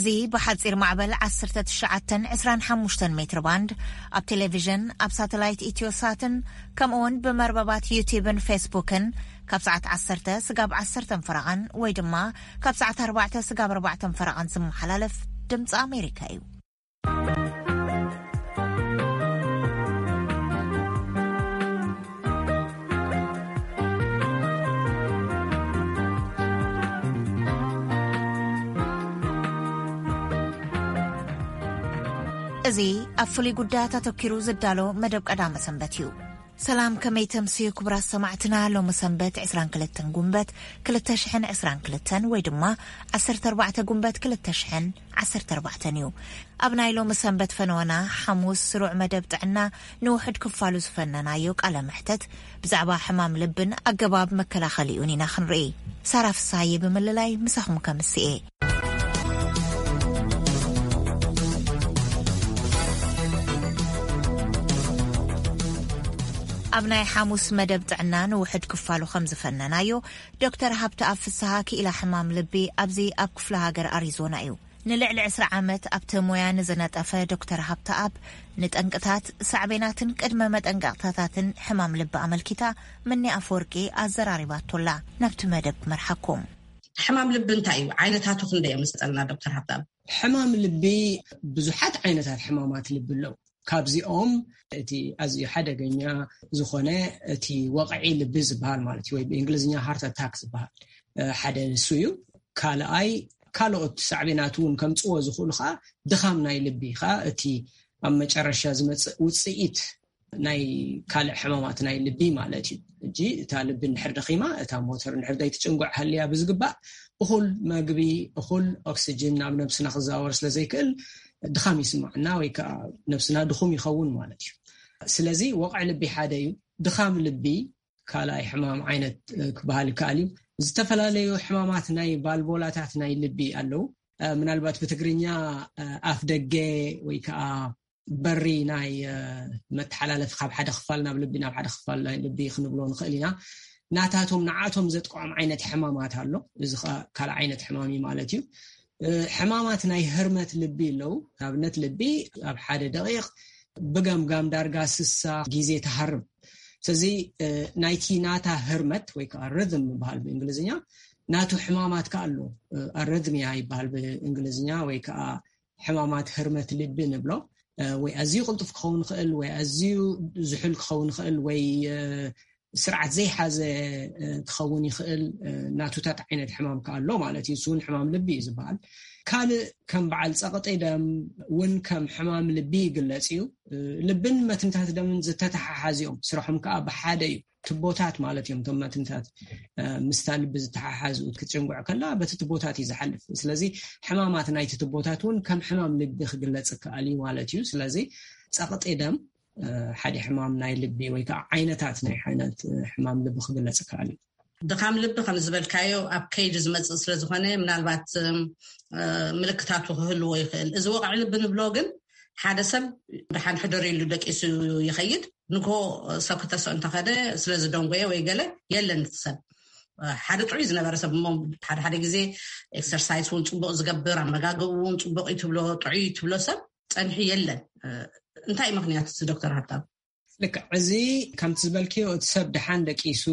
እዚ ብሓጺር ማዕበል ዓሰርተ ትሽዓተ ዕስራን ሓሙሽተን ሜትር ባንድ፣ ኣብ ቴሌቪዥን፣ ኣብ ሳተላይት ኢትዮሳትን፣ ከምኡ እውን ብመርበባት ዩቲዩብን ፌስቡክን ካብ ሰዓት ዓሰርተ ስጋብ ዓሰርተ ፈረቓን ወይ ድማ ካብ ሰዓት ኣርባዕተ ስጋብ ኣርባዕተ ፈረቓን ዝመሓላለፍ ድምፂ ኣሜሪካ እዩ። እዚ ኣብ ፍሉይ ጉዳያት ኣተኪሩ ዝዳሎ መደብ ቀዳመ ሰንበት እዩ። ሰላም፣ ከመይ ተምስዩ ክቡራት ሰማዕትና? ሎሚ ሰንበት ዕስራን ክልተን ጉንበት ክልተ ሽሕን ዕስራን ክልተን ወይ ድማ ዓሰርተ ኣርባዕተ ጉንበት ክልተ ሽሕን ዓሰርተ ኣርባዕተን እዩ። ኣብ ናይ ሎሚ ሰንበት ፈነወና ሓሙስ ስሩዕ መደብ ጥዕና ንውሕድ ክፋሉ ዝፈነናዮ ቃለ መሕተት ብዛዕባ ሕማም ልብን ኣገባብ መከላኸሊኡን ኢና ክንርኢ። ሳራ ፍሳዬ ብምልላይ ምሳኹም ከምስኤ። ኣብ ናይ ሓሙስ መደብ ጥዕና ንውሕድ ክፋሉ ከም ዝፈነናዮ፣ ዶክተር ሃብተኣብ ፍስሃ ክኢላ ሕማም ልቢ ኣብዚ ኣብ ክፍለ ሃገር ኣሪዞና እዩ። ንልዕሊ ዕስራ ዓመት ኣብቲ ሞያ ንዝነጠፈ ዶክተር ሃብተኣብ፣ ንጠንቅታት፣ ሳዕቤናትን ቅድመ መጠንቀቕታታትን ሕማም ልቢ ኣመልኪታ ምኒ ኣፈወርቂ ኣዘራሪባቶላ። ናብቲ መደብ ክመርሓኩም። ሕማም ልቢ እንታይ እዩ? ዓይነታቱ ክንደይ እዮም? ስጠልና ዶክተር ሃብተኣብ። ሕማም ልቢ፣ ብዙሓት ዓይነታት ሕማማት ልቢ ኣለዉ። ካብዚኦም እቲ ኣዝዩ ሓደገኛ ዝኾነ እቲ ወቕዒ ልቢ ዝበሃል ማለት እዩ፣ ወይ ብእንግሊዝኛ ሃርት ኣታክ ዝበሃል፣ እ፣ ሓደ ንሱ እዩ። ካልኣይ፣ ካልኦት ሳዕቤናት እውን ከምጽዎ ዝኽእሉ ከዓ ድኻም ናይ ልቢ ከዓ እቲ ኣብ መጨረሻ ዝመጽእ ውጽኢት ናይ ካልእ ሕማማት ናይ ልቢ ማለት እዩ። ሕጂ እታ ልቢ እንድሕር ደኺማ፣ እታ ሞተር እንድሕር ዘይትጭንጉዕ ሃልያ ብዝግባእ እኹል መግቢ፣ እኹል ኦክስጅን ናብ ነብስና ክዘዋወር ስለ ዘይክእል ድኻም ይስማዕና ወይ ከዓ ነብስና ድኹም ይኸውን ማለት እዩ። ስለዚ ወቕዒ ልቢ ሓደ እዩ። ድኻም ልቢ ካልኣይ ሕማም ዓይነት፣ እ፣ ክበሃል ይከኣል እዩ። ዝተፈላለዩ ሕማማት ናይ ቫልቮላታት ናይ ልቢ ኣለዉ። እ፣ ምናልባት ብትግርኛ፣ እ፣ ኣፍ ደገ ወይ ከዓ በሪ ናይ፣ እ፣ መተሓላለፊ ካብ ሓደ ክፋል ናብ ልቢ ናብ ሓደ ክፋል ናይ ልቢ ክንብሎ ንኽእል ኢና። ናታቶም ንዓቶም ዘጥቅዖም ዓይነት ሕማማት ኣሎ። እዚ ኸ ካልእ ዓይነት ሕማም እዩ ማለት እዩ። እ፣ ሕማማት ናይ ህርመት ልቢ ኣለዉ። ንኣብነት ልቢ ኣብ ሓደ ደቂቕ ብገምጋም ዳርጋ ስሳ ግዜ ትሃርም። ስለዚ፣ እ፣ ናይቲ ናታ ህርመት ወይ ከዓ ርዝም ይበሃል ብእንግሊዝኛ፣ ናቱ ሕማማት ከኣ ኣሎ። እ፣ ኣረዝሚያ ይበሃል ብእንግሊዝኛ ወይ ከዓ ሕማማት ህርመት ልቢ ንብሎ። እ፣ ወይ ኣዝዩ ቅልጡፍ ክኸውን ይኽእል፣ ወይ ኣዝዩ ዝሑል ክኸውን ይኽእል፣ ወይ፣ እ፣ ስርዓት ዘይሓዘ፣ እ፣ ክኸውን ይኽእል። እ፣ ናቱታት ዓይነት ሕማም ከኣ ኣሎ ማለት እዩ። እሱ እውን ሕማም ልቢ እዩ ዝበሃል። ካልእ ከም በዓል ጸቕጢ ደም እውን ከም ሕማም ልቢ ይግለጽ እዩ። እ፣ ልብን መትንታት ደምን ዝተተሓሓዙ እዮም። ስርሖም ከኣ ብሓደ እዩ። ትቦታት ማለት እዮም። እቶም መትንታት፣ እ፣ ምስታ ልቢ ዝተሓሓዙ ክትጭንጉዕ ከላ በቲ ትቦታት እዩ ዝሓልፍ። ስለዚ ሕማማት ናይቲ ትቦታት እውን ከም ሕማም ልቢ ክግለጽ ይከኣል እዩ ማለት እዩ። ስለዚ ጸቕጢ ደም፣ እ፣ ሓደ ሕማም ናይ ልቢ ወይ ከዓ ዓይነታት ናይ ዓይነት፣ እ፣ ሕማም ልቢ ክግለጽ ይከኣል እዩ። ድኻም ልቢ ከም ዝበልካዮ ኣብ ከይዲ ዝመጽእ ስለ ዝኾነ ምናልባት፣ እ፣ ምልክታቱ ክህልዎ ይኽእል። እዚ ወቕዒ ልቢ ንብሎ ግን ሓደ ሰብ ደሓን ሕደር ኢሉ ደቂሱ ይኸይድ፣ ንግሆ ሰብ ክተስኦ እንተኸደ ስለ ዝደንጎየ ወይ ገለ የለን እቲ ሰብ። ሓደ ጥዑይ ዝነበረ ሰብ እሞ ሓደ ሓደ ግዜ ኤክሰርሳይስ እውን ጽቡቕ ዝገብር፣ ኣመጋግብ እውን ጽቡቕ እዩ ትብሎ፣ ጥዑይ እዩ ትብሎ ሰብ ጸኒሑ የለን። እንታይ እዩ ምኽንያት እቲ ዶክተር ሃብታም? ልክዕ፣ እዚ ከምቲ ዝበልክዮ እቲ ሰብ ደሓን ደቂሱ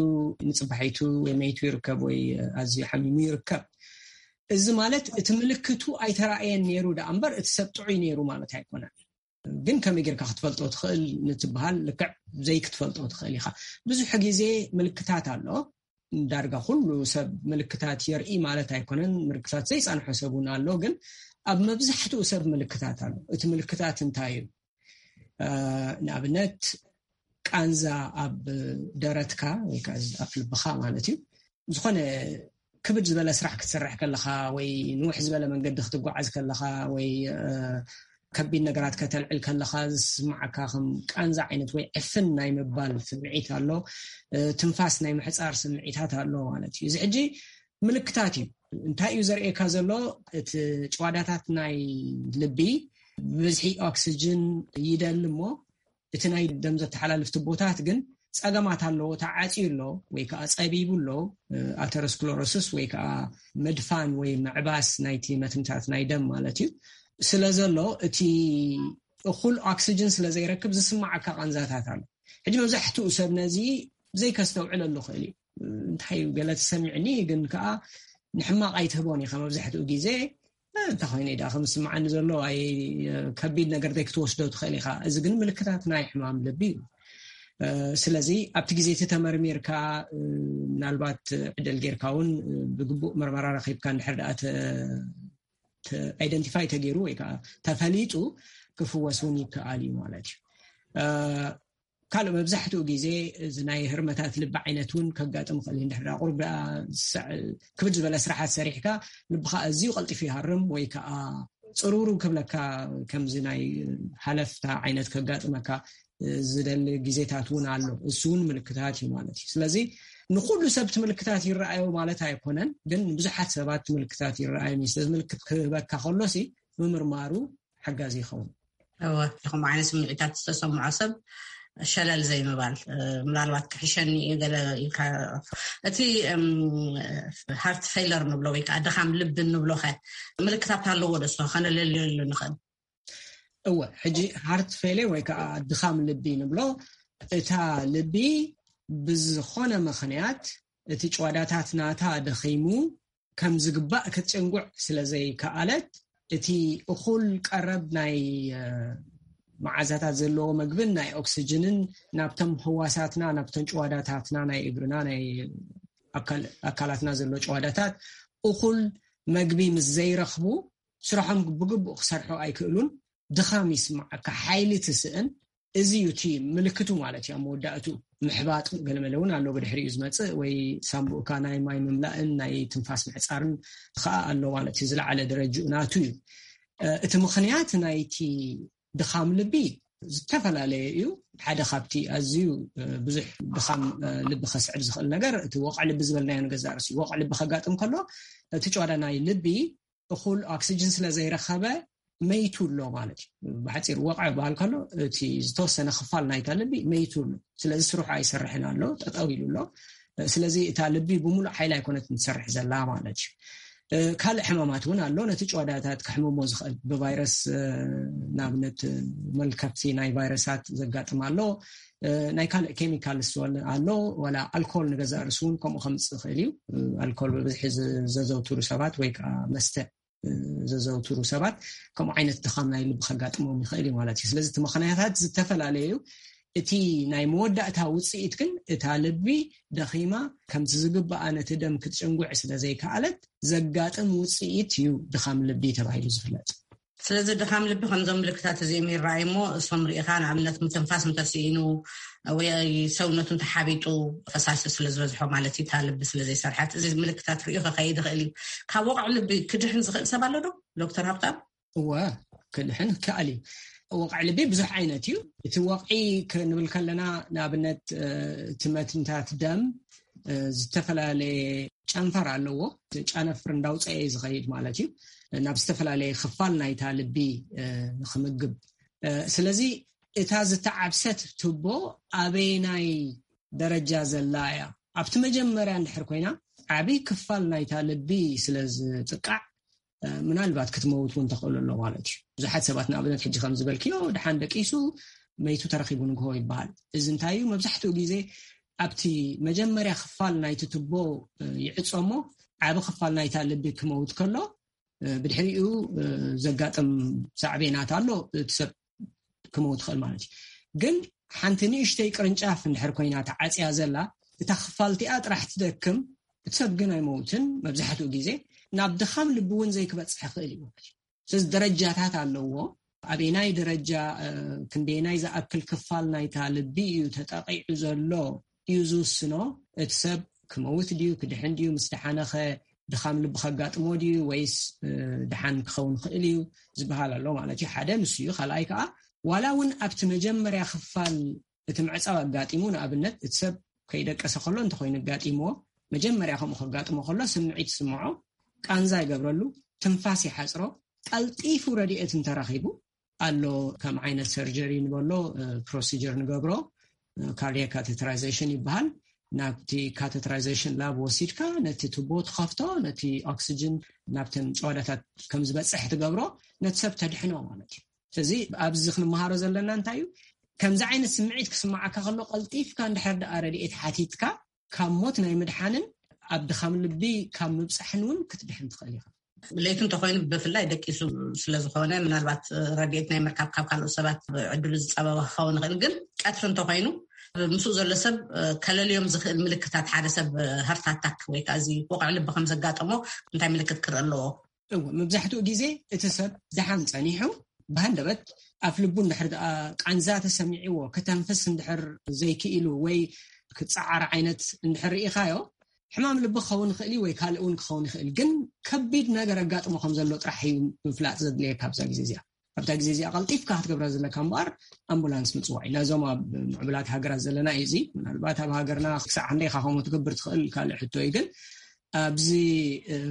ንጽባሒቱ ወይ መይቱ ይርከብ ወይ ኣዝዩ ሓሚሙ ይርከብ። እዚ ማለት እቲ ምልክቱ ኣይተራእየን ነይሩ ደኣ እምበር እቲ ሰብ ጥዑይ ነይሩ ማለት ኣይኮነን። ግን ከመይ ጌርካ ክትፈልጦ ትኽእል ንትበሃል ልክዕ ዘይክትፈልጦ ትኽእል ኢኻ። ብዙሕ ግዜ ምልክታት ኣሎ። ዳርጋ ኩሉ ሰብ ምልክታት የርኢ ማለት ኣይኮነን። ምልክታት ዘይጸንሖ ሰብ እውን ኣሎ። ግን ኣብ መብዛሕትኡ ሰብ ምልክታት ኣሎ። እቲ ምልክታት እንታይ እዩ? እ፣ ንኣብነት ቃንዛ ኣብ ደረትካ ወይ ከዓ ኣብ ልብኻ ማለት እዩ። ዝኾነ ክብድ ዝበለ ስራሕ ክትሰርሕ ከለኻ ወይ ንውሕ ዝበለ መንገዲ ክትጓዓዝ ከለኻ ወይ፣ እ፣ ከቢድ ነገራት ከተልዕል ከለኻ ዝስማዓካ ከም ቃንዛ ዓይነት ወይ ዕፍን ናይ ምባል ስምዒት ኣሎ። እ፣ ትንፋስ ናይ ምሕጻር ስምዒታት ኣሎ ማለት እዩ። እዚ ሕጂ ምልክታት እዩ። እንታይ እዩ ዘርእየካ ዘሎ? እቲ ጭዋዳታት ናይ ልቢ ብዝሒ ኦክስጅን ይደሊ እሞ እቲ ናይ ደም ዘተሓላልፍ ትቦታት ግን ጸገማት ኣለዎ፣ ተዓጽዩ ኣሎ ወይ ከዓ ጸቢቡ ኣሎ። ኣተሮስክለሮሲስ ወይ ከዓ ምድፋን ወይ ምዕባስ ናይቲ መትንታት ናይ ደም ማለት እዩ። ስለ ዘሎ እቲ እኹል ኦክሲጅን ስለ ዘይረክብ ዝስማዓካ ቃንዛታት ኣሎ። ሕጂ መብዛሕትኡ ሰብ ነዚ ዘይከስተውዕለሉ ክእል እዩ። እንታይ ገለ ተሰሚዕኒ ግን ከዓ ንሕማቕ ኣይትህቦን ኢኻ። መብዛሕትኡ ግዜ እንታይ ኮይነ ዳ ከም ዝስምዓኒ ዘሎ ኣይ ከቢድ ነገር ዘይክትወስዶ ትኽእል ኢኻ። እዚ ግን ምልክታት ናይ ሕማም ልቢ እዩ። ስለዚ ኣብቲ ግዜ እቲ ተመርሚርካ ምናልባት ዕድል ጌርካ እውን ብግቡእ መርመራ ረኪብካ እንድሕር ደኣ ኣይደንቲፋይ ተገይሩ ወይ ከዓ ተፈሊጡ ክፍወስ እውን ይከኣል እዩ ማለት እዩ። ካልእ መብዛሕትኡ ግዜ እዚ ናይ ህርመታት ልቢ ዓይነት እውን ከጋጥም ይኽእል እዩ። እንድሕር ቁሩብ ክብድ ዝበለ ስራሓት ሰሪሕካ ልብኻ ኣዝዩ ቀልጢፉ ይሃርም ወይ ከዓ ፅሩሩ ክብለካ ከምዚ ናይ ሃለፍታ ዓይነት ከጋጥመካ ዝደሊ ግዜታት እውን ኣሎ። እሱ እውን ምልክታት እዩ ማለት እዩ። ስለዚ ንኩሉ ሰብ እቲ ምልክታት ይረኣዮ ማለት ኣይኮነን፣ ግን ብዙሓት ሰባት ምልክታት ይረኣዮም እዩ። ስለዚ ምልክት ክህበካ ከሎሲ ምምርማሩ ሓጋዚ ይኸውን። እወ፣ ከምኡ ዓይነት ስምዒታት ዝተሰምዖ ሰብ ሸለል ዘይምባል፣ ምናልባት ክሕሸኒ እዩ ገለ ኢልካ። እቲ ሃርት ፌለር ንብሎ ወይ ከዓ ድኻም ልቢ ንብሎ ከ ምልክታት ኣለዎ ዶ? እሱ ከነለልየሉ ንኽእል? እወ፣ ሕጂ ሃርት ፌለር ወይ ከዓ ድኻም ልቢ ንብሎ፣ እታ ልቢ ብዝኾነ ምኽንያት እቲ ጭዋዳታት ናታ ደኺሙ ከም ዝግባእ ክትጭንጉዕ ስለ ዘይከኣለት፣ እቲ እኹል ቀረብ ናይ መዓዛታት ዘለዎ መግብን ናይ ኦክስጅንን ናብቶም ህዋሳትና፣ ናብተን ጭዋዳታትና፣ ናይ እግርና፣ ናይ ኣካላትና ዘሎ ጭዋዳታት እኹል መግቢ ምስ ዘይረኽቡ ስራሖም ብግቡእ ክሰርሑ ኣይክእሉን። ድኻም ይስማዓካ፣ ሓይሊ ትስእን። እዚ እዩ እቲ ምልክቱ ማለት እዩ። ኣብ መወዳእቱ ምሕባጥ ገለመለ እውን ኣሎ ብድሕሪኡ ዝመፅእ፣ ወይ ሳምቡእካ ናይ ማይ ምምላእን ናይ ትንፋስ ምሕፃርን ከዓ ኣሎ ማለት እዩ። ዝለዓለ ደረጅኡ ናቱ እዩ። እቲ ምኽንያት ናይቲ ድኻም ልቢ ዝተፈላለየ እዩ። ሓደ ካብቲ ኣዝዩ ብዙሕ ድኻም ልቢ ከስዕብ ዝኽእል ነገር እቲ ወቕዒ ልቢ ዝበልናዮ ንገዛእ ርእሲ እዩ። ወቕዒ ልቢ ከጋጥም ከሎ እቲ ጭዋዳ ናይ ልቢ እኹል ኦክሲጅን ስለ ዘይረኸበ መይቱ ኣሎ ማለት እዩ። ብሓፂር ወቕዒ በሃል ከሎ እቲ ዝተወሰነ ክፋል ናይታ ልቢ መይቱ ኣሎ። ስለዚ ስርሑ ኣይሰርሕን ኣሎ፣ ጠጠው ኢሉ ኣሎ። ስለዚ እታ ልቢ ብምሉእ ሓይሊ ኣይኮነትን ትሰርሕ ዘላ ማለት እዩ። ካልእ ሕማማት እውን ኣሎ ነቲ ጭዋዳታት ክሕምሞ ዝኽእል። ብቫይረስ ንኣብነት መልከፍቲ ናይ ቫይረሳት ዘጋጥም ኣሎ። ናይ ካልእ ኬሚካል ስወል ኣሎ፣ ዋላ ኣልኮል ንገዛእ ርእሱ እውን ከምኡ ከምፅእ ይኽእል እዩ። ኣልኮል ብብዝሒ ዘዘውትሩ ሰባት ወይ ከዓ መስተ ዘዘውትሩ ሰባት ከምኡ ዓይነት ድኻም ናይ ልቢ ከጋጥሞም ይኽእል እዩ ማለት እዩ። ስለዚ እቲ ምኽንያታት ዝተፈላለዩ እዩ። እቲ ናይ መወዳእታ ውፅኢት ግን እታ ልቢ ደኺማ ከምቲ ዝግባኣ ነቲ ደም ክትጭንጉዕ ስለ ዘይከኣለት ዘጋጥም ውፅኢት እዩ ድኻም ልቢ ተባሂሉ ዝፍለጥ። ስለዚ ድኻም ልቢ ከምዞም ምልክታት እዚኦም ይረኣዩ እሞ እሶም ርኢኻ ንኣብነት ምትንፋስ እንተስኢኑ ወይ ሰውነቱ እንተሓቢጡ ፈሳሲ ስለ ዝበዝሖ ማለት እዩ እታ ልቢ ስለ ዘይሰርሐት እዚ ምልክታት ርእዩ ከኸይድ ይኽእል እዩ። ካብ ወቕዒ ልቢ ክድሕን ዝኽእል ሰብ ኣሎ ዶ ዶክተር ሃብታም? እወ፣ ክድሕን ይከኣል እዩ። ወቕዒ ልቢ ብዙሕ ዓይነት እዩ። እቲ ወቕዒ ክንብል ከለና ንኣብነት እቲ መትንታት ደም ዝተፈላለየ ጨንፈር ኣለዎ። ጨነፍር እንዳውፀኤ ዝኸይድ ማለት እዩ ናብ ዝተፈላለየ ክፋል ናይታ ልቢ ንክምግብ። ስለዚ እታ ዝተዓብሰት ቱቦ ኣበየናይ ደረጃ ዘላ እያ? ኣብቲ መጀመርያ እንድሕር ኮይና ዓብይ ክፋል ናይታ ልቢ ስለ ዝጥቃዕ ምናልባት ክትመውት እውን ተኽእሎ ኣሎ ማለት እዩ። ብዙሓት ሰባት ንኣብነት ሕጂ ከም ዝበልክዮ ድሓን ደቂሱ መይቱ ተረኺቡ ንግሆ ይበሃል። እዚ እንታይ እዩ? መብዛሕትኡ ግዜ ኣብቲ መጀመርያ ክፋል ናይቲ ቱቦ ይዕጾ እሞ ዓቢ ክፋል ናይታ ልቢ ክመውት ከሎ ብድሕሪኡ ዘጋጥም ሳዕቤናት ኣሎ፣ እቲ ሰብ ክመውት ይኽእል ማለት እዩ። ግን ሓንቲ ንእሽተይ ቅርንጫፍ እንድሕር ኮይና ተዓፅያ ዘላ እታ ክፋልቲኣ ጥራሕ ትደክም፣ እቲ ሰብ ግን ኣይመውትን። መብዛሕትኡ ግዜ ናብ ድኻም ልቢ እውን ዘይክበፅሕ ይኽእል እዩ ማለት እዩ። ስለዚ ደረጃታት ኣለዎ። ኣበየናይ ደረጃ ክንደየናይ ዝኣክል ክፋል ናይታ ልቢ እዩ ተጠቂዑ ዘሎ እዩ ዝውስኖ። እቲ ሰብ ክመውት ድዩ ክድሕን ድዩ፣ ምስ ደሓነኸ ድኻም ልቢ ከጋጥሞ ድዩ ወይስ ድሓን ክኸውን ይኽእል እዩ ዝበሃል ኣሎ ማለት እዩ። ሓደ ንሱ እዩ። ካልኣይ ከዓ ዋላ እውን ኣብቲ መጀመርያ ክፋል እቲ ምዕፃው ኣጋጢሙ፣ ንኣብነት እቲ ሰብ ከይደቀሰ ከሎ እንተኮይኑ ኣጋጢምዎ፣ መጀመርያ ከምኡ ከጋጥሞ ከሎ ስምዒት ይስምዖ፣ ቃንዛ ይገብረሉ፣ ትንፋስ ይሓፅሮ፣ ቀልጢፉ ረድኤት እንተረኺቡ ኣሎ ከም ዓይነት ሰርጀሪ ንበሎ ፕሮሲጀር ንገብሮ። ካርዲያክ ካቴተራይዜሽን ይበሃል። ናብቲ ካቴተራይዜሽን ላብ ወሲድካ ነቲ ቱቦ ትኸፍቶ፣ ነቲ ኦክሲጅን ናብተን ጨዋዳታት ከም ዝበፅሕ ትገብሮ፣ ነቲ ሰብ ተድሕኖ ማለት እዩ። ስለዚ ኣብዚ ክንመሃሮ ዘለና እንታይ እዩ? ከምዚ ዓይነት ስምዒት ክስማዓካ ከሎ ቀልጢፍካ እንድሕር ደኣ ረድኤት ሓቲትካ ካብ ሞት ናይ ምድሓንን ኣብ ድኻም ልቢ ካብ ምብፃሕን እውን ክትድሕን ትኽእል ኢኻ። ለይቲ እንተኮይኑ ብፍላይ ደቂሱ ስለዝኾነ ምናልባት ረድኤት ናይ ምርካብ ካብ ካልኦት ሰባት ዕድሉ ዝፀበበ ክኸውን ይኽእል። ግን ቀትሪ እንተኮይኑ ምስኡ ዘሎ ሰብ ከለልዮም ዝኽእል ምልክታት ሓደ ሰብ ሃርት ኣታክ ወይ ከዓ እዚ ወቕዒ ልቢ ከም ዘጋጠሞ እንታይ ምልክት ክርኢ ኣለዎ? እዎ፣ መብዛሕትኡ ግዜ እቲ ሰብ ደሓን ጸኒሑ ብሃንደበት ኣፍ ልቡ እንድሕር ደኣ ቃንዛ ተሰሚዕዎ፣ ከተንፍስ እንድሕር ዘይክኢሉ ወይ ክጸዓር ዓይነት እንድሕር ርኢኻዮ፣ ሕማም ልቢ ክኸውን ይኽእል እዩ ወይ ካልእ እውን ክኸውን ይኽእል። ግን ከቢድ ነገር ኣጋጥሞ ከም ዘሎ ጥራሕ እዩ ምፍላጥ ዘድልየካ ኣብዛ ግዜ እዚኣ። ኣብታ ግዜ እዚኣ ቀልጢፍካ ክትገብራ ዘለካ እምበኣር ኣምቡላንስ ምጽዋዕ እዩ። ናይዞም ኣብ ምዕቡላት ሃገራት ዘለና እዩ እዚ። ምናልባት ኣብ ሃገርና ክሳዕ ክንደይ ኢኻ ከምኡ ትገብር ትኽእል ካልእ ሕቶ እዩ። ግን ኣብዚ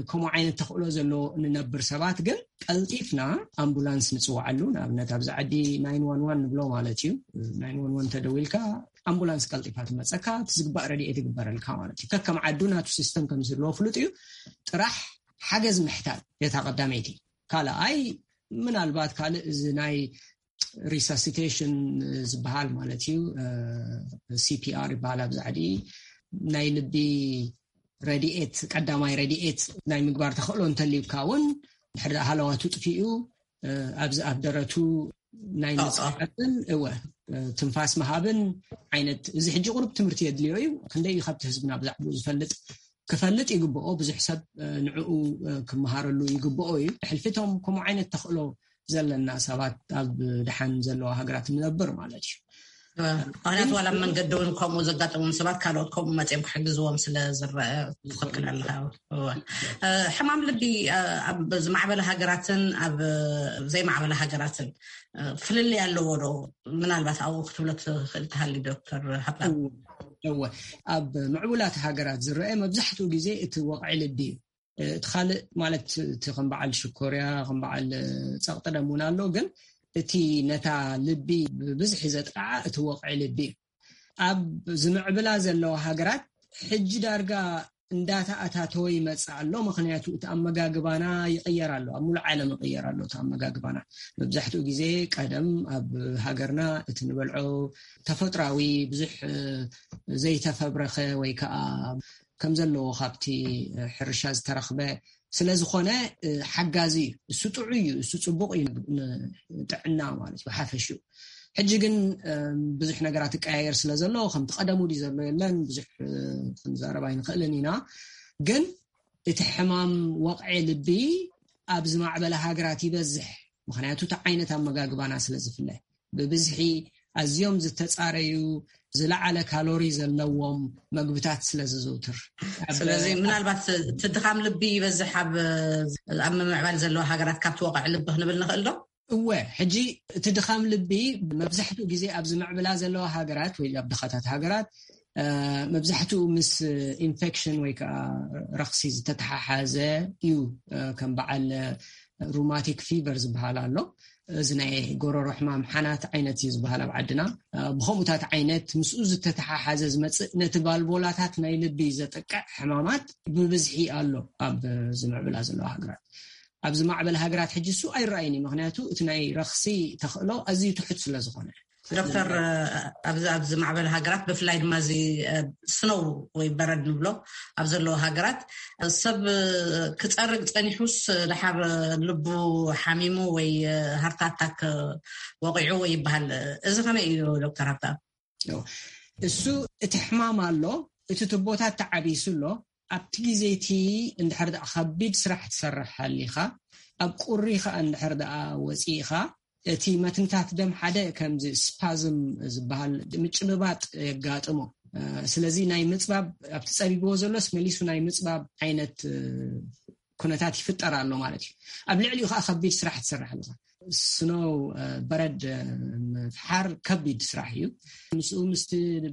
ከምኡ ዓይነት ተኽእሎ ዘለዎ እንነብር ሰባት ግን ቀልጢፍና ኣምቡላንስ ንፅዋዓሉ። ንኣብነት ኣብዚ ዓዲ ናይን ዋን ዋን ንብሎ ማለት እዩ። ናይን ዋን ዋን ተደዊልካ ኣምቡላንስ ቀልጢፋ ትመፀካ፣ እቲ ዝግባእ ረድኤት ይግበረልካ ማለት እዩ። ከከም ዓዱ ናቱ ሲስተም ከም ዝህልዎ ፍሉጥ እዩ። ጥራሕ ሓገዝ ምሕታት የታ ቀዳመይቲ። ካልኣይ ምናልባት ካልእ እዚ ናይ ሪሳሲቴሽን ዝበሃል ማለት እዩ፣ ሲፒኣር ይበሃል ኣብዚ ዓዲ። ናይ ልቢ ረድኤት፣ ቀዳማይ ረድኤት ናይ ምግባር ተኽእሎ እንተልዩካ እውን ድሕሪ ደኣ ሃለዋቱ ጥፊኡ ኣብዚ ኣብ ደረቱ ናይ ምፅዓጥን እወ ትንፋስ ምሃብን ዓይነት እዚ ሕጂ ቁሩብ ትምህርቲ የድልዮ እዩ። ክንደይ እዩ ካብቲ ህዝብና ብዛዕባኡ ዝፈልጥ? ክፈልጥ ይግብኦ። ብዙሕ ሰብ ንዕኡ ክመሃረሉ ይግብኦ እዩ። ሕልፊቶም ከምኡ ዓይነት ተኽእሎ ዘለና ሰባት ኣብ ደሓን ዘለዋ ሃገራት ንነብር ማለት እዩ። ምክንያቱ ዋላ መንገዲ እውን ከምኡ ዘጋጠሞም ሰባት ካልኦት ከምኡ መፅኦም ክሕግዝዎም ስለ ዝረአ ትኽክል ኣለካ። ሕማም ልቢ ኣብ ዝማዕበለ ሃገራትን ኣብ ዘይማዕበለ ሃገራትን ፍልልይ ኣለዎ ዶ? ምናልባት ኣብኡ ክትብሎ ትኽእል ትሃሊ ዶክተር ሃብታ? እወ፣ ኣብ ምዕቡላት ሃገራት ዝረአ መብዛሕትኡ ግዜ እቲ ወቕዒ ልቢ እዩ። እቲ ካልእ ማለት እቲ ከም በዓል ሽኮርያ ከም በዓል ፀቕጢ ደም እውን ኣሎ። ግን እቲ ነታ ልቢ ብብዝሒ ዘጥቃዓ እቲ ወቕዒ ልቢ እዩ። ኣብ ዝምዕብላ ዘለዋ ሃገራት ሕጂ ዳርጋ እንዳተኣታተወ ይመፅእ ኣሎ። ምክንያቱ እቲ ኣመጋግባና ይቕየር ኣሎ። ኣብ ሙሉእ ዓለም ይቕየር ኣሎ እቲ ኣመጋግባና። መብዛሕትኡ ግዜ ቀደም ኣብ ሃገርና እቲ ንበልዖ ተፈጥራዊ ብዙሕ ዘይተፈብረኸ ወይ ከዓ ከም ዘለዎ ካብቲ ሕርሻ ዝተረኽበ ስለ ዝኾነ ሓጋዚ እዩ። እሱ ጥዑይ እዩ፣ እሱ ፅቡቕ እዩ ንጥዕና ማለት እዩ ሓፈሽኡ። ሕጂ ግን ብዙሕ ነገራት ይቀያየር ስለ ዘሎ ከምቲ ቀደሙ ድዩ ዘሎ የለን ብዙሕ ክንዛረብ ኣይንኽእልን ኢና። ግን እቲ ሕማም ወቕዒ ልቢ ኣብ ዝማዕበለ ሃገራት ይበዝሕ። ምክንያቱ እቲ ዓይነት ኣመጋግባና ስለ ዝፍለ ብብዝሒ ኣዝዮም ዝተፃረዩ ዝለዓለ ካሎሪ ዘለዎም መግብታት ስለ ዝዝውትር። ስለዚ ምናልባት እቲ ድኻም ልቢ ይበዝሕ ኣብ ኣብ ምምዕባል ዘለዋ ሃገራት ካብቲ ወቕዒ ልቢ ክንብል ንኽእል ዶ? እወ፣ ሕጂ እቲ ድኻም ልቢ መብዛሕትኡ ግዜ ኣብ ዝምዕብላ ዘለዋ ሃገራት ወይ ኣብ ድኻታት ሃገራት መብዛሕትኡ ምስ ኢንፌክሽን ወይ ከዓ ረኽሲ ዝተተሓሓዘ እዩ። ከም በዓል ሩማቲክ ፊቨር ዝበሃል ኣሎ። እዚ ናይ ጎረሮ ሕማም ሓናት ዓይነት እዩ ዝበሃል ኣብ ዓድና። ብኸምኡታት ዓይነት ምስኡ ዝተተሓሓዘ ዝመፅእ ነቲ ባልቦላታት ናይ ልቢ ዘጥቅዕ ሕማማት ብብዝሒ ኣሎ ኣብ ዝምዕብላ ዘለዋ ሃገራት። ኣብ ዝማዕበለ ሃገራት ሕጂ እሱ ኣይረኣይን እዩ። ምክንያቱ እቲ ናይ ረኽሲ ተኽእሎ ኣዝዩ ትሑት ስለ ዝኾነ። ዶክተር፣ ኣብዚ ኣብ ዝማዕበለ ሃገራት ብፍላይ ድማ እዚ ስኖው ወይ በረድ ንብሎ ኣብ ዘለዎ ሃገራት ሰብ ክፀርግ ፀኒሑስ ደሓር ልቡ ሓሚሙ ወይ ሃርት ኣታክ ወቂዑ ወይ ይበሃል። እዚ ከመይ እዩ ዶክተር ሃብታ? እሱ እቲ ሕማም ኣሎ፣ እቲ ቱቦታት ተዓቢሱ ኣሎ። ኣብቲ ግዜ እቲ እንድሕር ደኣ ከቢድ ስራሕ ትሰርሕ ሃሊኻ፣ ኣብ ቁሪ ኸኣ እንድሕር ደኣ ወፂእኻ፣ እቲ መትንታት ደም ሓደ ከምዚ ስፓዝም ዝበሃል ምጭብባጥ የጋጥሞ። ስለዚ ናይ ምፅባብ ኣብቲ ፀቢብዎ ዘሎስ መሊሱ ናይ ምፅባብ ዓይነት ኩነታት ይፍጠር ኣሎ ማለት እዩ። ኣብ ልዕሊኡ ከዓ ከቢድ ስራሕ ትሰርሕ ኣለኻ። ስኖው በረድ ምፍሓር ከቢድ ስራሕ እዩ። ምስኡ ምስቲ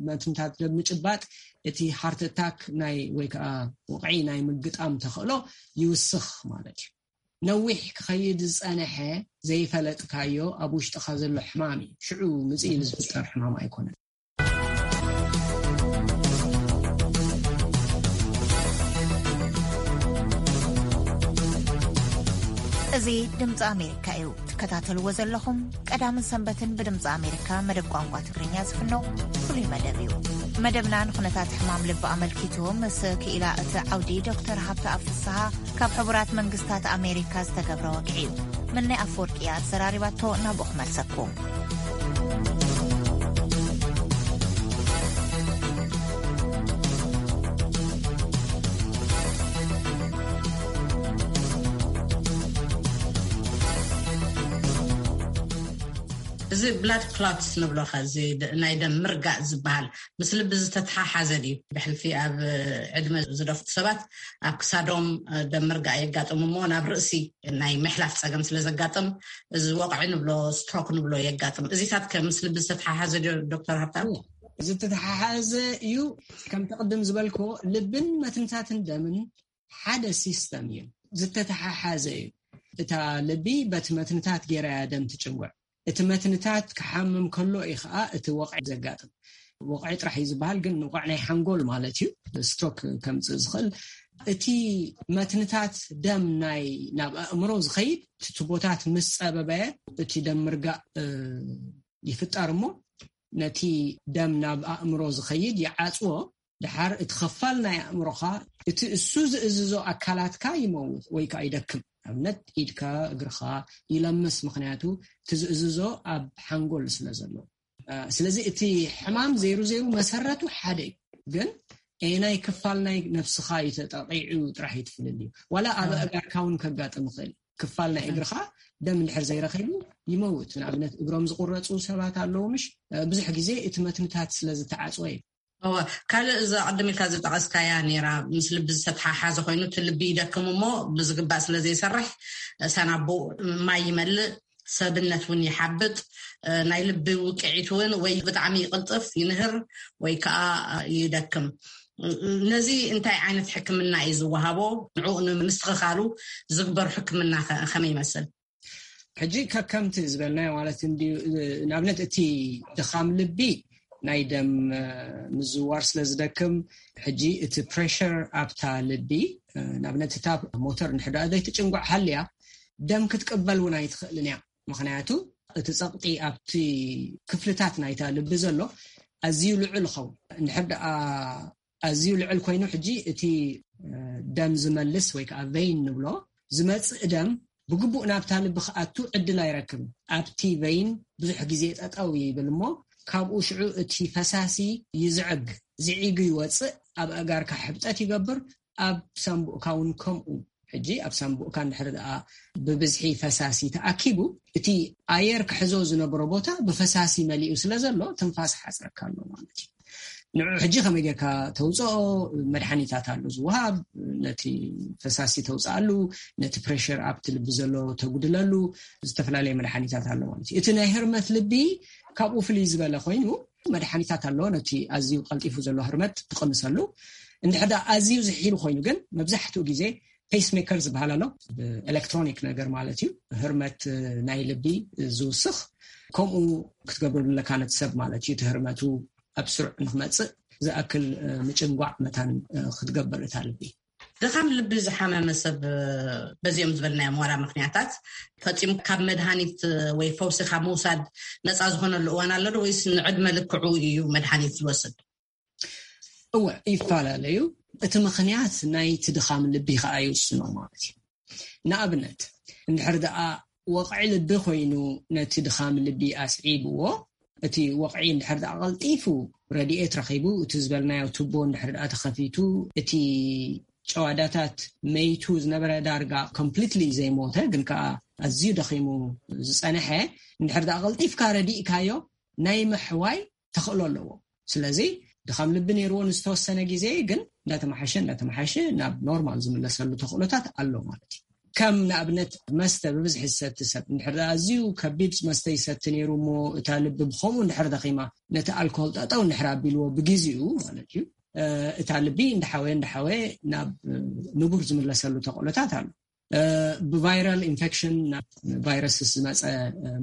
መትንታት ደም ምጭባጥ እቲ ሃርት ኣታክ ናይ ወይ ከዓ ወቕዒ ናይ ምግጣም ተኽእሎ ይውስኽ ማለት እዩ። ነዊሕ ክኸይድ ዝፀነሐ ዘይፈለጥካዮ ኣብ ውሽጥኻ ዘሎ ሕማም እዩ። ሽዑ ምፅእ ኢሉ ዝፍጠር ሕማም ኣይኮነን። እዚ ድምፂ ኣሜሪካ እዩ። ትከታተልዎ ዘለኹም ቀዳምን ሰንበትን ብድምፂ ኣሜሪካ መደብ ቋንቋ ትግርኛ ዝፍኖ ፍሉይ መደብ እዩ። መደብና ንኩነታት ሕማም ልቢ ኣመልኪቱ ምስ ክኢላ እቲ ዓውዲ ዶክተር ሃብተኣብ ፍስሃ ካብ ሕቡራት መንግስታት ኣሜሪካ ዝተገብረ ወግዒ እዩ። ምናይ ኣፈወርቂ እያ ኣዘራሪባቶ፣ ናብኡ ክመልሰኩም። እዚ ብላድ ክሎትስ ንብሎ ኸ፣ እዚ ደ- ናይ ደም ምርጋእ ዝበሃል ምስ ልቢ ዝተተሓሓዘ ድዩ? ብሕልፊ ኣብ ዕድመ ዝደፍኡ ሰባት ኣብ ክሳዶም ደም ምርጋእ የጋጥም እሞ ናብ ርእሲ ናይ ምሕላፍ ጸገም ስለ ዘጋጥም፣ እዚ ወቕዒ ንብሎ፣ ስትሮክ ንብሎ የጋጥም። እዚታት ከ ምስ ልቢ ዝተተሓሓዘ ድዩ ዶክተር ሃብታም? ዝተተሓሓዘ እዩ። ከምቲ ቅድም ዝበልክዎ፣ ልብን መትንታትን ደምን ሓደ ሲስተም እዩ፣ ዝተተሓሓዘ እዩ። እታ ልቢ በቲ መትንታት ገይራ እያ ደም ትጭንጉዕ። እቲ መትንታት ክሓምም ከሎ እዩ ከዓ እቲ ወቕዒ ዘጋጥም። ወቕዒ ጥራሕ እዩ ዝበሃል፣ ግን ንቋዕ ናይ ሓንጎል ማለት እዩ። ስትሮክ ከምፅእ ዝኽእል፣ እቲ መትንታት ደም ናይ ናብ ኣእምሮ ዝኸይድ፣ እቲ ቱቦታት ምስ ፀበበ፣ እቲ ደም ምርጋእ ይፍጠር እሞ፣ ነቲ ደም ናብ ኣእምሮ ዝኸይድ ይዓፅዎ። ድሓር እቲ ኽፋል ናይ ኣእምሮኻ፣ እቲ እሱ ዝእዝዞ ኣካላትካ ይመውት ወይ ከዓ ይደክም። ኣብነት ኢድካ፣ እግርኻ ይለምስ፣ ምኽንያቱ እቲ ዝእዝዞ ኣብ ሓንጎል ስለ ዘሎ። ስለዚ እቲ ሕማም ዘይሩ ዘይሩ መሰረቱ ሓደ እዩ። ግን ኤናይ ክፋል ናይ ነብስኻ እዩ ተጠቂዑ ጥራሕ እዩ ትፍልል እዩ። ዋላ ኣብ ኣእጋርካ እውን ከጋጥም ይኽእል። ክፋል ናይ እግርኻ ደም እንድሕር ዘይረኺቡ ይመውት። ንኣብነት እግሮም ዝቁረፁ ሰባት ኣለዉ፣ ምሽ ብዙሕ ግዜ እቲ መትንታት ስለ ዝተዓፅወ እዩ። እወ፣ ካልእ እዛ ቅድም ኢልካ ዝጠቐስካያ ነይራ፣ ምስ ልቢ ዝተተሓሓዘ ኮይኑ፣ እቲ ልቢ ይደክም እሞ ብዝግባእ ስለ ዘይሰርሕ፣ ሳናቡእ ማይ ይመልእ፣ ሰብነት እውን ይሓብጥ፣ ናይ ልቢ ውቅዒት እውን ወይ ብጣዕሚ ይቅልጥፍ፣ ይንህር፣ ወይ ከዓ ይደክም። ነዚ እንታይ ዓይነት ሕክምና እዩ ዝወሃቦ? ንዕኡ ንምስትኽኻሉ ዝግበር ሕክምና ከ ከመይ ይመስል? ሕጂ ከከምቲ ዝበልናዮ ማለት እንድዩ። ንኣብነት እቲ ድኻም ልቢ ናይ ደም ምዝዋር ስለ ዝደክም፣ ሕጂ እቲ ፕሬሸር ኣብታ ልቢ፣ ንኣብነት እታ ሞተር እንድሕር ደኣ ዘይትጭንጓዕ ሃልያ፣ ደም ክትቅበል እውን ኣይትኽእልን እያ። ምኽንያቱ እቲ ጸቕጢ ኣብቲ ክፍልታት ናይታ ልቢ ዘሎ ኣዝዩ ልዑል ይኸውን። እንድሕር ደኣ ኣዝዩ ልዑል ኮይኑ፣ ሕጂ እቲ ደም ዝመልስ ወይ ከዓ ቬይን ንብሎ ዝመጽእ ደም ብግቡእ ናብታ ልቢ ክኣቱ ዕድል ኣይረክብን። ኣብቲ ቬይን ብዙሕ ግዜ ጠጠው ይብል እሞ፣ ካብኡ ሽዑ እቲ ፈሳሲ ይዝዕግ። ዝዒጉ ይወጽእ፣ ኣብ ኣእጋርካ ሕብጠት ይገብር፣ ኣብ ሳምቡእካ እውን ከምኡ። ሕጂ ኣብ ሳምቡእካ እንድሕር ደኣ ብብዝሒ ፈሳሲ ተኣኪቡ፣ እቲ ኣየር ክሕዞ ዝነበሮ ቦታ ብፈሳሲ መሊኡ ስለ ዘሎ፣ ትንፋስ ሓጽረካ ኣሎ ማለት እዩ። ንዑ ሕጂ ከመይ ጌርካ ተውፅኦ? መድሓኒታት ኣሎ ዝወሃብ፣ ነቲ ፈሳሲ ተውፅኣሉ፣ ነቲ ፕሬሸር ኣብቲ ልቢ ዘሎ ተጉድለሉ፣ ዝተፈላለየ መድሓኒታት ኣሎ ማለት እዩ። እቲ ናይ ህርመት ልቢ ካብኡ ፍልይ ዝበለ ኮይኑ፣ መድሓኒታት ኣሎ ነቲ ኣዝዩ ቀልጢፉ ዘሎ ህርመት ትቕንሰሉ። እንድሕር ደኣ ኣዝዩ ዝሒሉ ኮይኑ ግን፣ መብዛሕትኡ ግዜ ፔስሜከር ዝበሃል ኣሎ፣ ብኤሌክትሮኒክ ነገር ማለት እዩ፣ ህርመት ናይ ልቢ ዝውስኽ። ከምኡ ክትገብረሉ ኣለካ ነቲ ሰብ ማለት እዩ። እቲ ህርመቱ ኣብ ስሩዕ ንክመፅእ ዝኣክል ምጭንጓዕ መታን ክትገብር እታ ልቢ። ድኻም ልቢ ዝሓመመ ሰብ በዚኦም ዝበልናዮም ዋላ ምኽንያታት ፈፂሙ ካብ መድሃኒት ወይ ፈውሲ ካብ ምውሳድ ነፃ ዝኾነሉ እዋን ኣሎ ዶ፣ ወይስ ንዕድመ ልክዑ እዩ መድሃኒት ዝወስድ? እወ፣ ይፈላለዩ። እቲ ምኽንያት ናይቲ ድኻም ልቢ ከዓ ይውስኖ ማለት እዩ። ንኣብነት፣ እንድሕር ደኣ ወቕዒ ልቢ ኮይኑ ነቲ ድኻም ልቢ ኣስዒብዎ፣ እቲ ወቕዒ እንድሕር ደኣ ቀልጢፉ ረድኤት ረኺቡ፣ እቲ ዝበልናዮ ቱቦ እንድሕር ደኣ ተኸፊቱ፣ እቲ ጨዋዳታት መይቱ ዝነበረ ዳርጋ ኮምፕሊትሊ ዘይሞተ ግን ከዓ ኣዝዩ ደኺሙ ዝጸንሐ እንድሕር ደኣ ቀልጢፍካ ረዲእካዮ፣ ናይ ምሕዋይ ተኽእሎ ኣለዎ። ስለዚ ድኻም ልቢ ነይርዎ ንዝተወሰነ ግዜ፣ ግን እንዳተመሓሸ እንዳተመሓሸ ናብ ኖርማል ዝምለሰሉ ተኽእሎታት ኣሎ ማለት እዩ። ከም ንኣብነት መስተ ብብዝሒ ዝሰቲ ሰብ እንድሕር ደኣ ኣዝዩ ከቢድ መስተ ይሰቲ ነይሩ እሞ እታ ልቢ ብኸምኡ እንድሕር ደኺማ፣ ነቲ ኣልኮል ጠጠው እንድሕር ኣቢልዎ ብግዜኡ ማለት እዩ፣ እታ ልቢ እንዳሓወየ እንዳሓወየ ናብ ንቡር ዝምለሰሉ ተኽእሎታት ኣሎ። ብቫይራል ኢንፌክሽን፣ ናብ ቫይረስስ ዝመፀ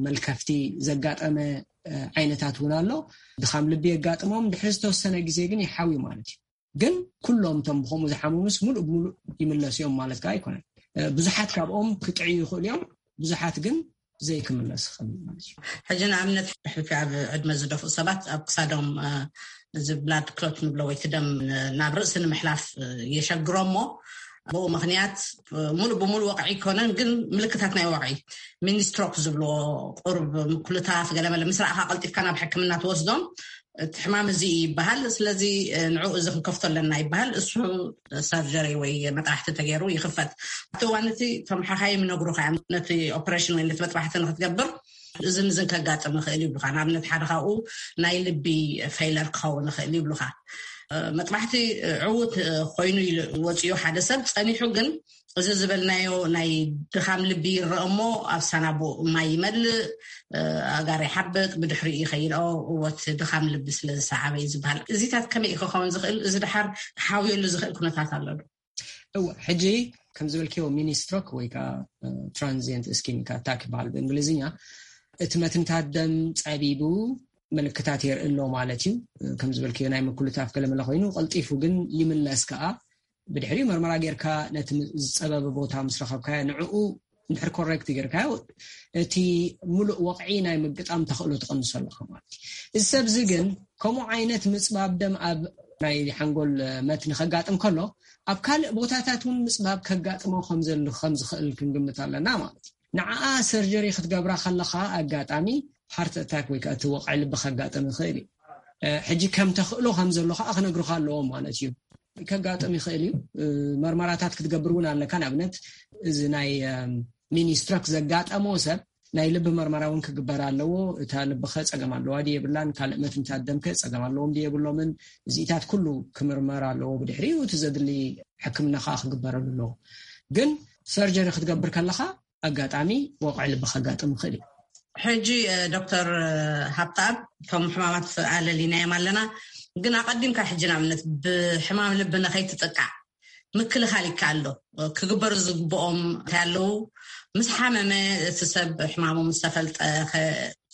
መልከፍቲ ዘጋጠመ ዓይነታት እውን ኣሎ። ድኻም ልቢ የጋጥሞም፣ ድሕሪ ዝተወሰነ ግዜ ግን ይሓዊ ማለት እዩ። ግን ኩሎም እቶም ብኸምኡ ዝሓመሙስ ሙሉእ ብሙሉእ ይምለሱ እዮም ማለት ከዓ ኣይኮነን። ብዙሓት ካብኦም ክጥዕዩ ይኽእሉ እዮም፣ ብዙሓት ግን ዘይክምለስ ይኽእል ማለት እዩ። ሕጂ ንኣብነት ሕፊ ኣብ ዕድመ ዝደፍኡ ሰባት ኣብ ክሳዶም እዚ ብላድ ክሎት ንብሎ ወይ ደም ናብ ርእሲ ንምሕላፍ የሸግሮሞ። ብኡ ምኽንያት ሙሉእ ብሙሉእ ወቕዒ ኣይኮነን፣ ግን ምልክታት ናይ ወቕዒ ሚኒስትሮክ ዝብልዎ ቁርብ ምኩልታፍ ገለመለ ምስ ረኣኻ ቀልጢፍካ ናብ ሕክምና ትወስዶም። እቲ ሕማም እዚ ይበሃል። ስለዚ ንዕኡ እዚ ክንከፍቶ ኣለና ይበሃል። እሱ ሰርጀሪ ወይ መጥባሕቲ ተገይሩ ይኽፈት። ኣብቲ እዋን እቲ እቶም ሓኻይም ይነግሩኻ እዮም፣ ነቲ ኦፕሬሽን ወይ ነቲ መጥባሕቲ ንክትገብር እዝን እዝን ከጋጥም ይኽእል ይብሉኻ። ንኣብነት ሓደ ካብኡ ናይ ልቢ ፌይለር ክኸውን ይኽእል ይብሉኻ። መጥባሕቲ ዕዉት ኮይኑ ወፂኡ ሓደ ሰብ ጸኒሑ ግን እዚ ዝበልናዮ ናይ ድኻም ልቢ ይረአ እሞ ኣብ ሳናቡ ማይ ይመልእ፣ ኣጋር ይሓብጥ፣ ብድሕሪኡ ይኸይድ። ኦ፣ እወ፣ እቲ ድኻም ልቢ ስለ ዝሰዓበ እዩ ዝበሃል። እዚታት ከመይ እዩ ክኸውን ዝኽእል? እዚ ድሓር ክሓውየሉ ዝኽእል ኩነታት ኣሎ ዶ? እወ፣ ሕጂ ከም ዝበልክዮ ሚኒ ስትሮክ ወይ ከዓ ትራንዚየንት እስኪሚክ ኣታክ ይበሃል ብእንግሊዝኛ። እቲ መትንታት ደም ጸቢቡ ምልክታት የርኢ ኣሎ ማለት እዩ። ከም ዝበልክዮ ናይ ምኩልታፍ ገለመለ ኮይኑ ቀልጢፉ ግን ይምለስ ከዓ። ብድሕሪኡ መርመራ ጌርካ ነቲ ዝጸበበ ቦታ ምስ ረኸብካዮ ንዕኡ እንድሕር ኮሬክት ጌርካዮ እቲ ሙሉእ ወቕዒ ናይ ምግጣም ተኽእሎ ትቐንሶ ኣለካ ማለት እዩ። እዚ ሰብዚ ግን ከምኡ ዓይነት ምጽባብ ደም ኣብ ናይ ሓንጎል መትኒ ከጋጥም ከሎ ኣብ ካልእ ቦታታት እውን ምጽባብ ከጋጥሞ ከም ዘሉ ከም ዝኽእል ክንግምት ኣለና ማለት እዩ። ንዓኣ ሰርጀሪ ክትገብራ ከለኻ ኣጋጣሚ ሃርት ኣታክ ወይ ከዓ እቲ ወቕዒ ልቢ ከጋጥም ይኽእል እዩ። ሕጂ ከም ተኽእሎ ከም ዘሎ ከዓ ክነግሩካ ኣለዎም ማለት እዩ። ከጋጥም ይኽእል እዩ። መርመራታት ክትገብር እውን ኣለካ። ንኣብነት እዚ ናይ ሚኒ ስትሮክ ዘጋጠሞ ሰብ ናይ ልቢ መርመራ እውን ክግበር ኣለዎ። እታ ልብኸ ጸገም ኣለዋ ድየ የብላን፣ ካልእ መትንታት ደምከ ጸገም ኣለዎም ድየ የብሎምን፣ እዚኢታት ኩሉ ክምርመር ኣለዎ። ብድሕሪኡ እቲ ዘድሊ ሕክምና ከዓ ክግበረሉ ኣለዎ። ግን ሰርጀሪ ክትገብር ከለኻ ኣጋጣሚ ወቕዒ ልቢ ከጋጥም ይኽእል እዩ። ሕጂ ዶክተር ሃብተኣብ፣ እቶም ሕማማት ኣለሊናዮም ኣለና፣ ግን ኣቐዲምካ ሕጂ ንኣብነት ብሕማም ልቢ ንኸይትጥቃዕ ምክልኻል ይከኣል ዶ? ክግበሩ ዝግብኦም እንታይ ኣለዉ? ምስ ሓመመ እቲ ሰብ ሕማሙ ምስ ተፈልጠ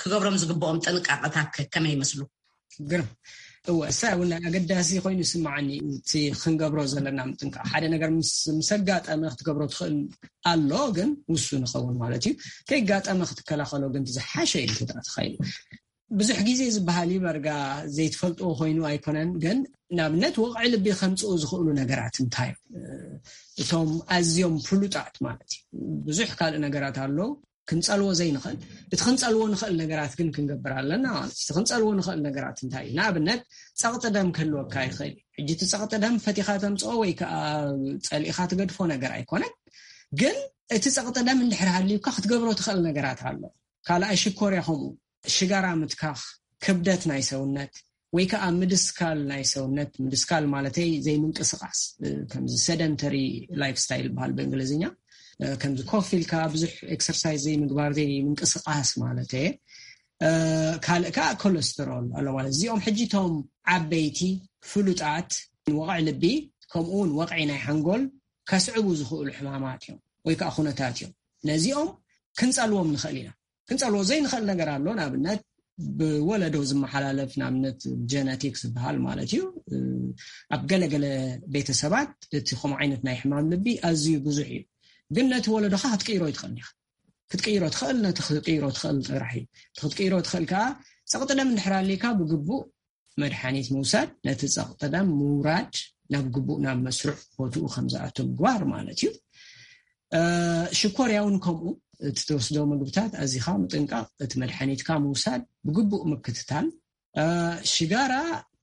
ክገብሮም ዝግብኦም ጥንቃቐታት ከመይ ይመስሉ? ግርም። እወ፣ እሳ እውን ኣገዳሲ ኮይኑ ይስምዓኒ። እቲ ክንገብሮ ዘለና ምጥንቃቕ፣ ሓደ ነገር ምስ ኣጋጠመ ክትገብሮ ትኽእል ኣሎ፣ ግን ውሱን ይኸውን ማለት እዩ። ከይጋጠመ ክትከላኸሎ ግን ዝሓሸ እዩ ክትኣትኻ ኢሉ። ብዙሕ ግዜ ዝበሃል እዩ በርጋ ዘይትፈልጥዎ ኮይኑ ኣይኮነን፣ ግን ንኣብነት ወቕዒ ልቢ ከምፅኡ ዝኽእሉ ነገራት እንታይ እዮም? እቶም ኣዝዮም ፍሉጣት ማለት እዩ። ብዙሕ ካልእ ነገራት ኣሎ ክንፀልዎ ዘይንኽእል። እቲ ክንፀልዎ ንኽእል ነገራት ግን ክንገብር ኣለና ማለት እዩ። እቲ ክንፀልዎ ንኽእል ነገራት እንታይ እዩ? ንኣብነት ፀቕጢ ደም ክህልወካ ይኽእል እዩ። ሕጂ እቲ ፀቕጢ ደም ፈቲኻ ተምፅኦ ወይ ከዓ ፀሊእኻ ትገድፎ ነገር ኣይኮነን፣ ግን እቲ ፀቕጢ ደም እንድሕር ሃልዩካ ክትገብሮ ትኽእል ነገራት ኣሎ። ካልኣይ ሽኮርያ ከምኡ፣ ሽጋራ ምትካኽ፣ ክብደት ናይ ሰውነት ወይ ከዓ ምድስካል ናይ ሰውነት፣ ምድስካል ማለተይ ዘይምንቅስቃስ፣ ከምዚ ሰደንተሪ ላይፍ ስታይል በሃል ብእንግሊዝኛ፣ ከምዚ ኮፍ ኢልካ ብዙሕ ኤክሰርሳይዝ ዘይምግባር ዘይምንቅስቃስ ማለት እየ። ካልእ ከዓ ኮለስተሮል ኣሎ ማለት። እዚኦም ሕጂ እቶም ዓበይቲ ፍሉጣት ወቕዒ ልቢ ከምኡ እውን ወቕዒ ናይ ሓንጎል ከስዕቡ ዝኽእሉ ሕማማት እዮም ወይ ከዓ ኩነታት እዮም። ነዚኦም ክንፀልዎም ንኽእል ኢና። ክንፀልዎ ዘይንኽእል ነገር ኣሎ። ንኣብነት ብወለዶ ዝመሓላለፍ፣ ንኣብነት ጀነቲክስ ዝበሃል ማለት እዩ። ኣብ ገለገለ ቤተሰባት እቲ ከምኡ ዓይነት ናይ ሕማም ልቢ ኣዝዩ ብዙሕ እዩ። ግን ነቲ ወለዶኻ ክትቅይሮ ይትኽእል ኢኻ። ክትቅይሮ ትኽእል፣ ነቲ ክትቅይሮ ትኽእል ጥራሕ እዩ። እቲ ክትቅይሮ ትኽእል ከዓ ፀቕጢ ደም እንድሕር ኣሊካ ብግቡእ መድሓኒት ምውሳድ፣ ነቲ ፀቕጢ ደም ምውራድ፣ ናብ ግቡእ ናብ መስርዕ ቦትኡ ከም ዝኣቱ ምግባር ማለት እዩ። ሽኮርያ እውን ከምኡ፣ እቲ ትወስዶ ምግብታት ኣዚኻ ምጥንቃቕ፣ እቲ መድሓኒትካ ምውሳድ፣ ብግቡእ ምክትታል። ሽጋራ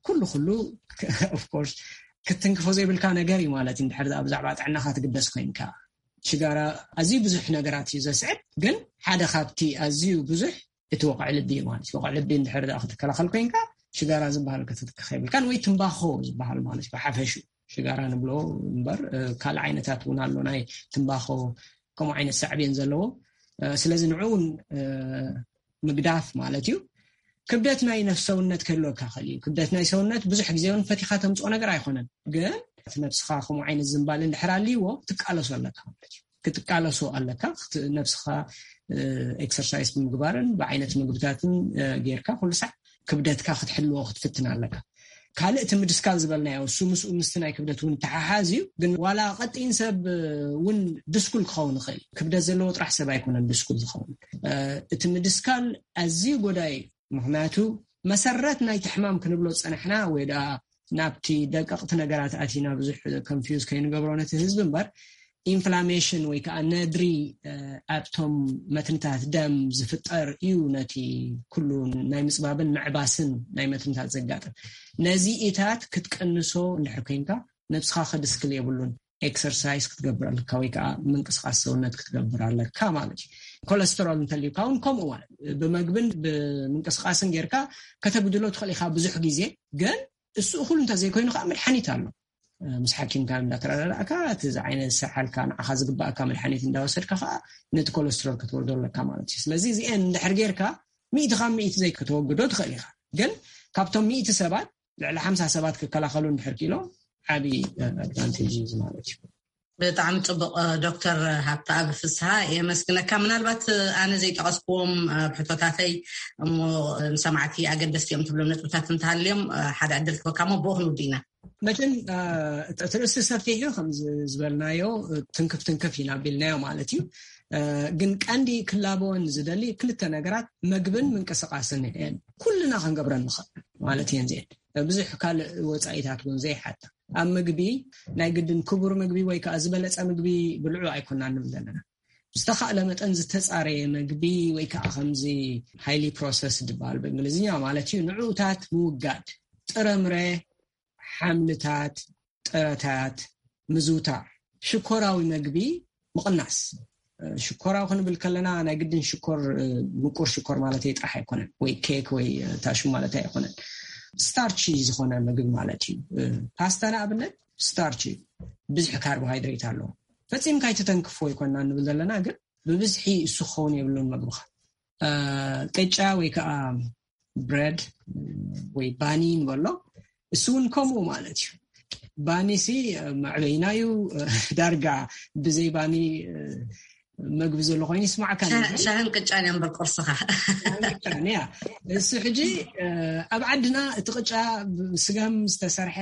ኩሉ ኩሉ ኦፍኮርስ ክትትንክፎ ዘይብልካ ነገር እዩ ማለት እዩ። እንድሕር ብዛዕባ ጥዕናኻ ትግደስ ኮይንካ ሽጋራ ኣዝዩ ብዙሕ ነገራት እዩ ዘስዕብ፣ ግን ሓደ ካብቲ ኣዝዩ ብዙሕ እቲ ወቕዒ ልቢ እዩ ማለት እዩ። ወቕዒ ልቢ እንድሕር ክትከላኸል ኮይንካ ሽጋራ ዝበሃል ክትትክኽ የብልካን፣ ወይ ትምባኾ ዝበሃል ማለት እዩ። ብሓፈሹ ሽጋራ ንብሎ እምበር ካልእ ዓይነታት እውን ኣሎ፣ ናይ ትምባኾ ከምኡ ዓይነት ሳዕቤን ዘለዎ። ስለዚ ንዑ እውን ምግዳፍ ማለት እዩ። ክብደት ናይ ነፍሰውነት ክህልወካ ክእል እዩ። ክብደት ናይ ሰውነት ብዙሕ ግዜ እውን ፈቲኻ ተምፅኦ ነገር ኣይኮነን፣ ግን ነብስኻ ከምኡ ዓይነት ዝንባል እንድሕር ኣልይዎ ትቃለሶ ኣለካ ማለት እዩ። ክትቃለሶ ኣለካ። ነብስኻ ኤክሰርሳይዝ ብምግባርን ብዓይነት ምግብታትን ጌርካ ኩሉ ሳዕ ክብደትካ ክትሕልዎ ክትፍትን ኣለካ። ካልእ እቲ ምድስካል ዝበልናዮ፣ እሱ ምስኡ ምስቲ ናይ ክብደት እውን ተሓሓዝ እዩ። ግን ዋላ ቀጢን ሰብ እውን ድስኩል ክኸውን ይኽእል። ክብደት ዘለዎ ጥራሕ ሰብ ኣይኮነን ድስኩል ዝኸውን። እቲ ምድስካል ኣዝዩ ጎዳኢ እዩ። ምኽንያቱ መሰረት ናይቲ ሕማም ክንብሎ ዝጸናሕና ወይ ደኣ ናብቲ ደቀቕቲ ነገራት ኣቲና ብዙሕ ኮንፊውዝ ከይንገብሮ ነቲ ህዝቢ እምበር፣ ኢንፍላሜሽን ወይ ከዓ ነድሪ ኣብቶም መትንታት ደም ዝፍጠር እዩ። ነቲ ኩሉ ናይ ምፅባብን ምዕባስን ናይ መትንታት ዘጋጥም፣ ነዚ ኢታት ክትቀንሶ እንድሕር ኮይንካ፣ ነብስኻ ክድስክል የብሉን። ኤክሰርሳይዝ ክትገብር ኣለካ ወይ ከዓ ምንቅስቃስ ሰውነት ክትገብር ኣለካ ማለት እዩ። ኮለስተሮል እንተልዩካ እውን ከምኡ ማለት፣ ብመግብን ብምንቅስቃስን ጌርካ ከተጉድሎ ትኽእል ኢካ ብዙሕ ግዜ። ግን እሱ እኩል እንተዘይኮይኑ ከዓ መድሓኒት ኣሎ። ምስ ሓኪምካ እንዳተረዳዳእካ፣ እቲ ዝዓይነት ሰሓልካ ንዓኻ ዝግባእካ መድሓኒት እንዳወሰድካ ከዓ ነቲ ኮለስትሮል ክትወርዶ ኣለካ ማለት እዩ። ስለዚ እዚአን እንድሕር ጌርካ፣ ሚእቲ ካብ ሚእቲ ዘይክተወግዶ ትኽእል ኢኻ። ግን ካብቶም ሚእቲ ሰባት ልዕሊ ሓምሳ ሰባት ክከላኸሉ እንድሕር ክኢሎም፣ ዓብዪ ኣድቫንቴጅ እዩ ማለት እዩ። ብጣዕሚ ፅቡቕ። ዶክተር ሃብተኣብ ፍስሃ፣ የመስግነካ። ምናልባት ኣነ ዘይጠቐስክዎም ብሕቶታተይ እሞ ንሰማዕቲ ኣገደስቲ እዮም ትብሎም ነጥብታት እንተሃልዮም ሓደ ዕድል ክበካ እሞ ብኡ ክንውድእ ኢና። መቸም እቲ ርእሲ ሰፊሕ እዩ፣ ከም ዝበልናዮ ትንክፍ ትንክፍ ኢና ቢልናዮ ማለት እዩ። ግን ቀንዲ ክላበወን ዝደሊ ክልተ ነገራት፣ መግብን ምንቅስቃስን እየን። ኩልና ክንገብረን ንኽእል ማለት እየን። ዜን ብዙሕ ካልእ ወፃኢታት እውን ዘይሓታ፣ ኣብ ምግቢ ናይ ግድን ክቡር ምግቢ ወይ ከዓ ዝበለፀ ምግቢ ብልዑ ኣይኮና ንብል ዘለና። ዝተኻእለ መጠን ዝተፃረየ ምግቢ ወይ ከዓ ከምዚ ሃይሊ ፕሮሰስ ዝበሃል ብእንግሊዝኛ ማለት እዩ፣ ንዕኡታት ምውጋድ፣ ጥረምረ፣ ሓምልታት፣ ጥረታት ምዝውታር፣ ሽኮራዊ መግቢ ምቕናስ። ሽኮራዊ ክንብል ከለና ናይ ግድን ሽኮር፣ ምቁር ሽኮር ማለት ጥራሕ ኣይኮነን፣ ወይ ኬክ ወይ ታሹ ማለት ኣይኮነን። ስታርቺ ዝኾነ ምግቢ ማለት እዩ። ፓስታ ንኣብነት ስታርች እዩ፣ ብዙሕ ካርቦሃይድሬት ኣለዎ። ፈፂምካ ኣይትተንክፎ ይኮና ንብል ዘለና፣ ግን ብብዝሒ እሱ ክኸውን የብሉን መግብኻ። ቅጫ ወይ ከዓ ብረድ ወይ ባኒ ንበሎ፣ እሱ እውን ከምኡ ማለት እዩ። ባኒ ሲ መዕበይና እዩ። ዳርጋ ብዘይ ባኒ መግቢ ዘሎ ኮይኑ ይስማዕካ። ሻህን ቅጫን እዮም በል ቁርስኻ። ያ እሱ ሕጂ ኣብ ዓድና እቲ ቅጫ ስጋም ዝተሰርሐ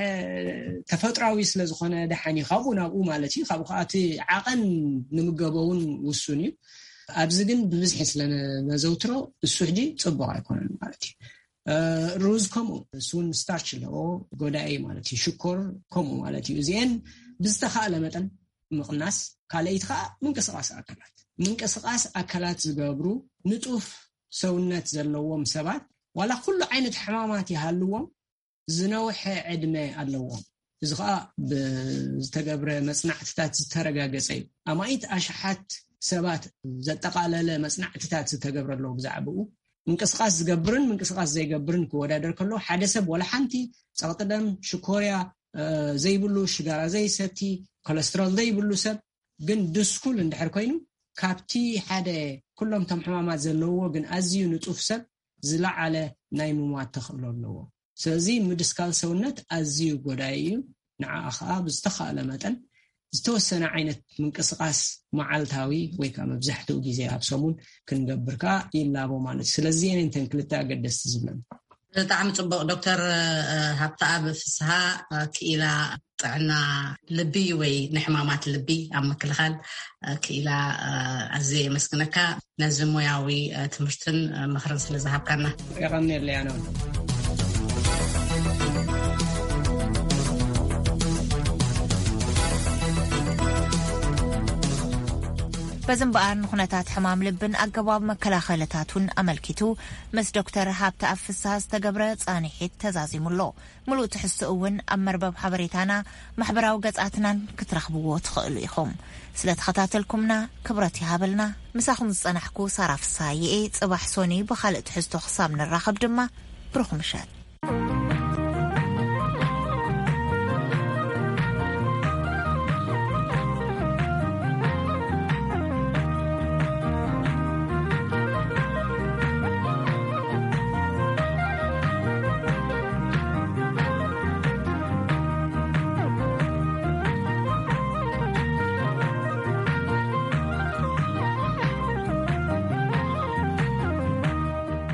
ተፈጥራዊ ስለዝኾነ ደሓን እዩ፣ ካብኡ ናብኡ ማለት እዩ። ካብኡ ከዓ እቲ ዓቐን ንምገበውን ውሱን እዩ። ኣብዚ ግን ብብዝሒ ስለነዘውትሮ እሱ ሕጂ ፅቡቅ ኣይኮነን ማለት እዩ። ሩዝ ከምኡ፣ እሱን ስታርች ኣለዎ፣ ጎዳኢ ማለት እዩ። ሽኮር ከምኡ ማለት እዩ። እዚአን ብዝተኻእለ መጠን ምቕናስ። ካልኣይቲ ከዓ ምንቅስቃስ ኣካላት፣ ምንቅስቃስ ኣካላት ዝገብሩ ንጡፍ ሰውነት ዘለዎም ሰባት ዋላ ኩሉ ዓይነት ሕማማት ይሃልዎም ዝነውሐ ዕድመ ኣለዎም። እዚ ከዓ ብዝተገብረ መፅናዕትታት ዝተረጋገፀ እዩ። ኣማኢት ኣሽሓት ሰባት ዘጠቓለለ መፅናዕትታት ዝተገብረ ኣለዎ ብዛዕባኡ። ምንቅስቃስ ዝገብርን ምንቅስቃስ ዘይገብርን ክወዳደር ከሎ፣ ሓደ ሰብ ወላ ሓንቲ ፀቕጢ ደም፣ ሽኮርያ ዘይብሉ፣ ሽጋራ ዘይሰቲ፣ ኮለስትሮል ዘይብሉ ሰብ ግን ድስኩል እንድሕር ኮይኑ፣ ካብቲ ሓደ ኩሎም ቶም ሕማማት ዘለዎ ግን ኣዝዩ ንጡፍ ሰብ ዝለዓለ ናይ ምሟት ተኽእሎ ኣለዎ። ስለዚ ምድስካል ሰውነት ኣዝዩ ጎዳኢ እዩ። ንዓኣ ከዓ ብዝተኻእለ መጠን ዝተወሰነ ዓይነት ምንቅስቃስ መዓልታዊ ወይ ከዓ መብዛሕትኡ ግዜ ኣብ ሰሙን ክንገብር ከዓ ይላቦ ማለት እዩ። ስለዚ እየን እንተን ክልተ ኣገደስቲ ዝብለን። ብጣዕሚ ጽቡቕ። ዶክተር ሃብተኣብ ፍስሃ፣ ክኢላ ጥዕና ልቢ ወይ ንሕማማት ልቢ ኣብ ምክልኻል ክኢላ፣ ኣዝየ የመስግነካ ነዚ ሞያዊ ትምህርትን ምኽርን ስለ ዝሃብካና። የቐንየለይ ኣነ እውን። በዚ እምበኣር ንኹነታት ሕማም ልብን ኣገባብ መከላኸልታቱን ኣመልኪቱ ምስ ዶክተር ሃብተኣብ ፍስሃ ዝተገብረ ፃንሒት ተዛዚሙ ኣሎ። ምሉእ ትሕዝቶ እውን ኣብ መርበብ ሓበሬታና ማሕበራዊ ገጻትናን ክትረኽብዎ ትኽእሉ ኢኹም። ስለ ተኸታተልኩምና ክብረት ይሃበልና። ምሳኹም ዝጸናሕኩ ሳራ ፍስሃየ እየ። ጽባሕ ሶኒ ብኻልእ ትሕዝቶ ክሳብ ንራኸብ ድማ ብሩኽ ምሸት።